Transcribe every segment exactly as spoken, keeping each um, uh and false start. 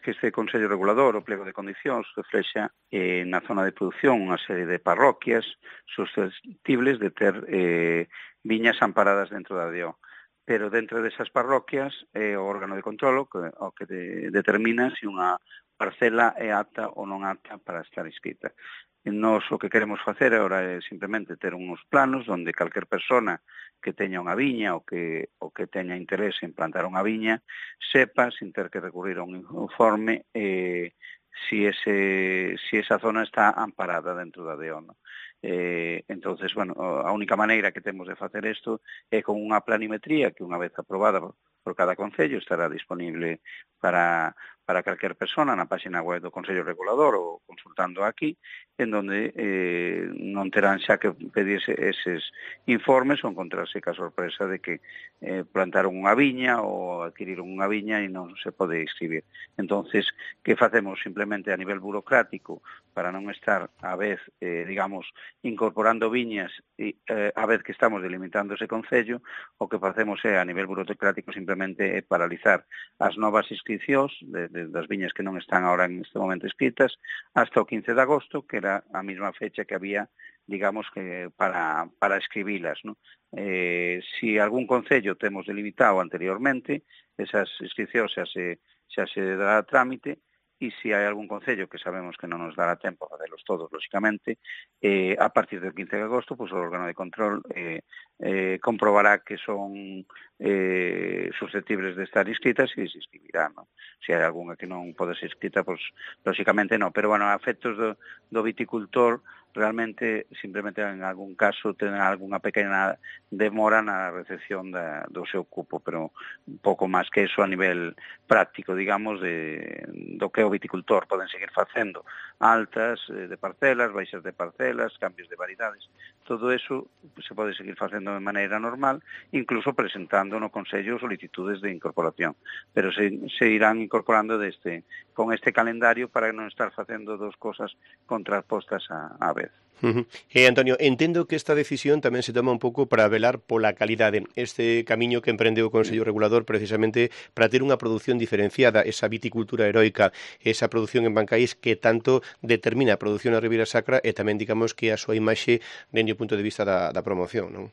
que este Consello Regulador, o pliego de condicións, reflexa eh, na zona de produción unha serie de parroquias susceptibles de ter eh, viñas amparadas dentro da D O. Pero dentro desas parroquias é o órgano de controlo que, o que de, determina se unha parcela é apta ou non apta para estar inscrita. E nos o que queremos facer agora é simplemente ter uns planos onde calquer persona que teña unha viña ou que, ou que teña interés en plantar unha viña sepa, sin ter que recurrir a un informe, eh, si, ese, si esa zona está amparada dentro da D O, ¿no? Eh, entonces, bueno, a única maneira que temos de facer isto é con unha planimetría que unha vez aprobada por cada concello estará disponible para, para calquer persona na página web do Consello Regulador ou consultando aquí, en donde eh, non terán xa que pedirse eses informes ou encontrarse ca sorpresa de que eh, plantaron unha viña ou adquiriron unha viña e non se pode inscribir. Entonces, que facemos simplemente a nivel burocrático para non estar a vez, eh, digamos, incorporando viñas e eh, a vez que estamos delimitando ese concello, o que facemos é a nivel burocrático simplemente é paralizar as novas inscripcións de, de, das viñas que non están ahora en este momento inscritas hasta o quince de agosto, que era a mesma fecha que había, digamos, que para, para escribilas, ¿no? Eh, si algún concello temos delimitado anteriormente, esas inscripcións xa se, xa se dará trámite, e se hai algún concello que sabemos que non nos dará tempo a facelos todos, lógicamente, eh, a partir del quince de agosto, pues, o órgano de control eh, eh, comprobará que son eh, susceptibles de estar inscritas e se inscribirá, ¿no? Se hai algunha que non pode ser inscrita, pues, lógicamente non. Pero, bueno, a efectos do, do viticultor, realmente, simplemente en algún caso, ten algunha pequena demora na recepción da, do seu cupo, pero un pouco máis que eso a nivel práctico, digamos, de, do que o viticultor. Poden seguir facendo altas eh, de parcelas, baixas de parcelas, cambios de variedades. Todo eso se pode seguir facendo de maneira normal, incluso presentando no Consello solicitudes de incorporación. Pero se, se irán incorporando deste, con este calendario para non estar facendo dos cosas contrapostas a, a vez. Uh-huh. Eh, Antonio, entendo que esta decisión tamén se toma un pouco para velar pola calidade, este camiño que emprende o Consello Regulador precisamente para ter unha produción diferenciada, esa viticultura heroica, esa produción en Bancaís que tanto determina a produción na Ribeira Sacra e tamén, digamos, que a súa imaxe dende o punto de vista da, da promoción, non?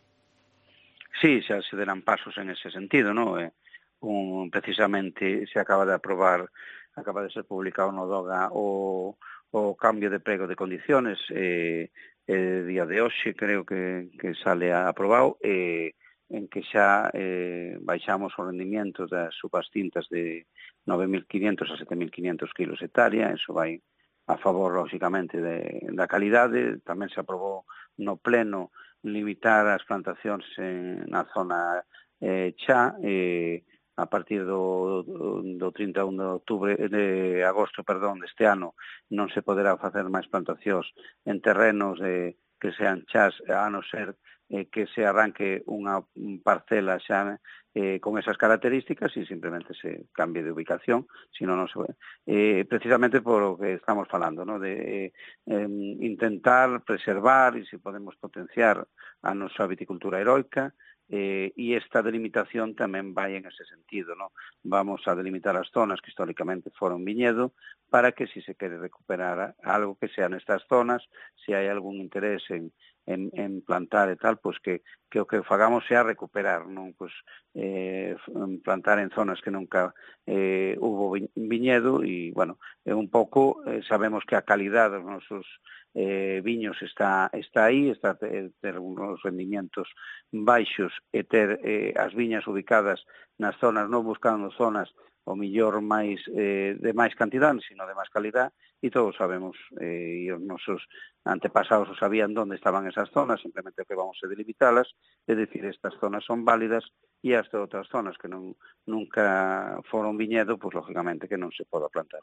Sí, xa se deran pasos en ese sentido, non? Eh, un, precisamente se acaba de aprobar, acaba de ser publicado no DOGA o o cambio de prego de condiciones, eh, eh, día de hoxe creo que, que sale aprobado, eh, en que xa eh, baixamos o rendimiento das uvas tintas de nove mil quinientos a sete mil quinientos kilos hectárea, eso vai a favor, lógicamente, de, da calidade. Tamén se aprobou no pleno limitar as plantacións en, na zona eh, xa, eh, a partir do, do trinta e un de outubro de agosto, perdón, deste ano, non se poderá facer máis plantacións en terrenos eh, que sean chás, a non ser eh, que se arranque unha parcela xa eh, con esas características e simplemente se cambie de ubicación, sino non se ve. Eh, precisamente por o que estamos falando, ¿no? De eh, intentar preservar e se podemos potenciar a nosa viticultura heroica. Eh, e esta delimitación tamén vai en ese sentido, ¿no? Vamos a delimitar as zonas que históricamente foron viñedo para que si se quere recuperar algo que sea nestas zonas, se hai algún interés en, en, en plantar e tal, pues que, que o que fagamos sea recuperar, non? Pues, eh, plantar en zonas que nunca eh, hubo viñedo e, bueno, é un pouco, eh, sabemos que a calidade dos nosos eh, viños está, está aí, está ter, ter uns rendimientos baixos e ter eh, as viñas ubicadas nas zonas, non buscando zonas o millor máis eh, de máis cantidade, sino de máis calidad, e todos sabemos, eh, e os nosos antepasados sabían onde estaban esas zonas, simplemente que vamos a delimitalas, é dicir, estas zonas son válidas e as de outras zonas que non nunca foron viñedo, pois, lógicamente, que non se poda plantar.